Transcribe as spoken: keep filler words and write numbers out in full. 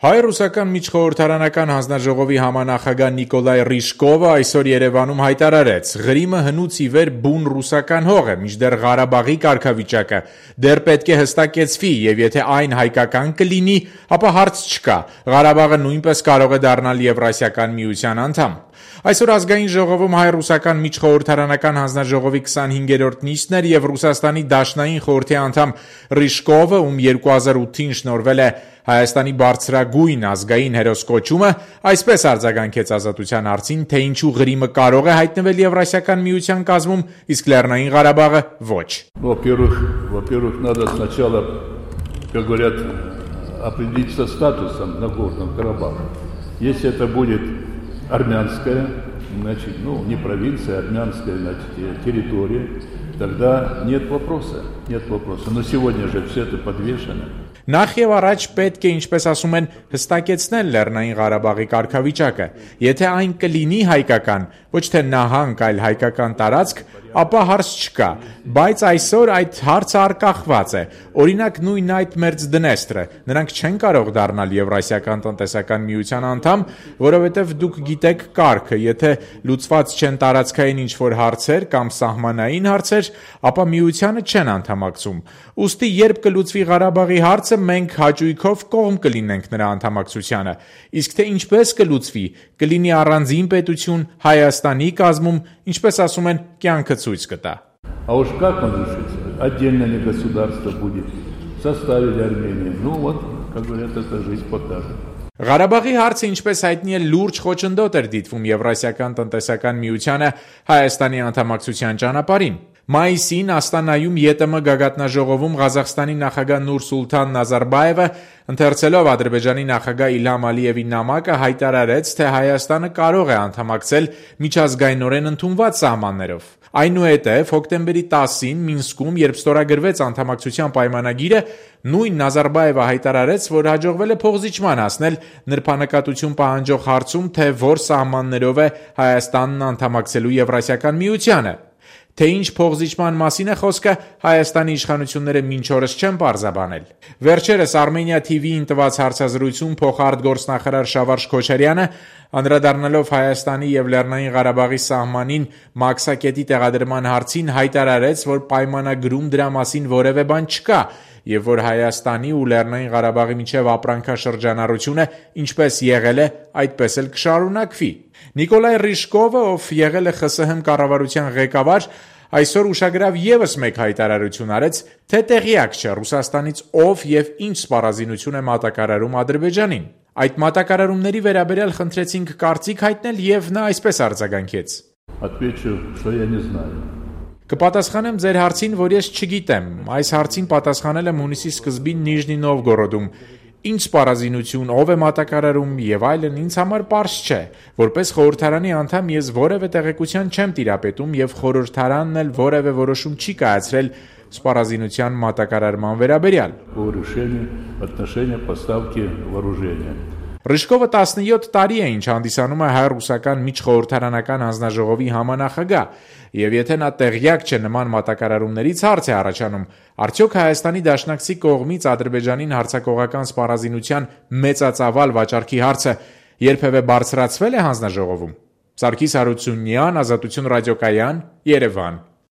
Հայ-ռուսական միջխորհրդարանական հանձնաժողովի համանախագահ Նիկոլայ Ռիժկովը այսօր Երևանում հայտարարեց. Ղրիմը հնուց ի վեր բուն ռուսական հող է, մինչդեռ Ղարաբաղի կարգավիճակը դեռ պետք է հստակեցվի, եւ եթե այն հայկական կլինի, ապա հարց չկա. Ղարաբաղը նույնպես կարող է դառնալ Եվրասիական միության անդամ։ Այսօր ազգային ժողովում հայ-ռուսական միջխորհրդարանական հանձնաժողովի քսանհինգերորդ նիստն էր եւ Ռուսաստանի Դաշնային խորհրդի անդամ Ռիժկովը, ում երկու հազար ութին շնորհվել է Հայաստանի բարձրագույն ազգային հերոս կոչումը, այսպես արձագանքեց Ազատության հարցին, թե ինչու Ղրիմը կարող է հայտնվել Եվրասիական միության կազմում, իսկ Լեռնային Ղարաբաղը ոչ։ Во-первых, во-первых, надо сначала, как говорят, определиться статусом Нагорного Карабаха. Если это будет армянская, значит, ну, не провинция, а армянская, значит, территория, тогда нет вопроса, нет вопроса. Но сегодня же все это подвешено. Նախ եւ առաջ պետք է, ինչպես ասում են, հստակեցնել Լեռնային Ղարաբաղի կարգավիճակը։ Եթե այն կլինի հայկական, ոչ թե նահանգ, այլ հայկական տարածք, ապա հարց չկա, բայց այսօր այդ հարցը արկախված է։ Օրինակ նույն այդ Մերձդնեստրը, նրանք չեն կարող դառնալ Եվրասիական տնտեսական միության անդամ, որովհետև դուք գիտեք կարգը, եթե լուծված չեն տարածքային ինչ-որ հարցեր կամ սահմանային հարցեր, ապա միությանը չեն անդամակցում։ Ուստի երբ կլուծվի Ղարաբաղի հարցը, մենք հաճույքով կողմ կլինենք նրա անդամակցությանը, իսկ թե ինչպես կլուծվի, կլինի առանձին պետություն Հայաստանի կազմում, ինչպես ասում են, կյանքը ցույց կտա։ А уж как он решится? Отдельное ли государство будет? В составе Армении. Ну вот, как говорят, это жизнь покажет. Ղարաբաղի հարցը, ինչպես հայտնի է, լուրջ խոչընդոտ էր դիտվում Եվրասիական տնտեսական միությանը Հայաստանի անդամակցության ճանապարհին։ Մայիսին Աստանայում ԵՏՄ գագաթնաժողովում Ղազախստանի նախագահ Նուրսուլթան Նազարբաևը, ընթերցելով Ադրբեջանի նախագահ Իլհամ Ալիևի նամակը, հայտարարեց, թե Հայաստանը կարող է անդամակցել միջազգայինորեն ընդունված սահմաններով։ Այնուհետև հոկտեմբերի տասին Մինսկում, երբ ստորագրվեց անդամակցության պայմանագիրը, նույն Նազարբաևը հայտարարեց, որ հաջողվել է փոխզիջման հասնել նրբանկատություն պահանջող հարցում, թե որ սահմաններով է Հայաստանն անդամակցելու Եվրասիական միությանը։ Թե ինչ փոխզիջման մասին է խոսքը, Հայաստանի իշխանությունները մինչ օրս չեն պարզաբանել։ Վերջերս Armenia T V-ին տված հարցազրույցում փոխարտգործնախարար Շավարժ Քոչարյանը, անդրադառնալով Հայաստանի եւ Լեռնային Ղարաբաղի սահմանին մաքսակետի տեղադրման հարցին, հայտարարեց, որ պայմանագրում դրա մասին որևէ բան չկա եւ որ Հայաստանի ու Լեռնային Ղարաբաղի միջև ապրանքաշրջանառությունը ինչպես եղել է, այդպես էլ կշարունակվի։ Նիկոլայ Ռիժկովը, ով եղել է Խ Ս Հ կառավարության ղեկավար, այսօր ուշագրավ եւս մեկ հայտարարություն արեց, թե տեղյակ չէ Ռուսաստանից ով եւ ինչ սպառազինություն է մատակարարում Ադրբեջանին։ Այդ մատակարարումների վերաբերյալ խնդրեցինք կարծիք հայտնել եւ նա այսպես արձագանքեց. Отвечу, что я не знаю. Կպատասխանեմ ձեր հարցին, որ ես չգիտեմ։ Այս հարցին պատասխանել եմ հունիսի սկզբին Նիժնի Նովգորոդում։ Ինչ սպառազինություն, ով է մատակարարում եւ այլն ինձ համար պարզ չէ։ Որպես խորհրդարանի անդամ ես որևէ տեղեկության չեմ տիրապետում եւ խորհրդարանն էլ որևէ որոշում չի կայացրել սպառազինության մատակարարման վերաբերյալ։ По решению отношения поставки вооружения. Ռիժկովը տասնյոթ տարի է, ինչ հանդիսանում է հայ-ռուսական միջխորհրդարանական հանձնաժողովի համանախագահ, եւ եթե նա տեղյակ չէ նման մատակարարումներից, հարց է առաջանում, արդյոք Հայաստանի դաշնակցի կողմից Ադրբեջանին հարձակողական սպառազինության մեծածավալ վաճառքի հարցը երբևէ բարձրացվել է հանձնաժողովում։ Սարգիս Հարությունյան, Ազատություն ռադիոկայան, Երևան։